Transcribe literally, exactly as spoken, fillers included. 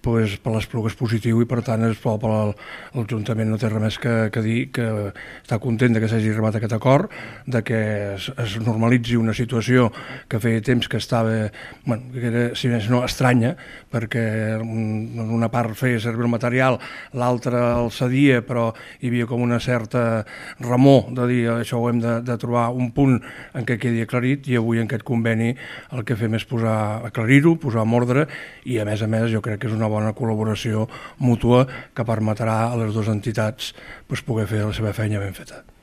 pues, per l'Espluga és positiu i per tant l'Ajuntament no té res més que, que dir que està content de que s'hagi arribat a aquest acord, de que es, es normalitzi una situació que feia temps que estava, bueno, que era, si més no, estranya, perquè en una part feia servir el material, l'altra el cedia, però hi havia com una certa remor de dir això ho hem de, de trobar un punt en què quedi aclarit, i avui en aquest conveni el que fem és posar, aclarir-ho, posar en ordre, i a més a més jo crec que és una bona col·laboració mútua que permetrà a les dues entitats pues, poder fer la seva feina ben feta.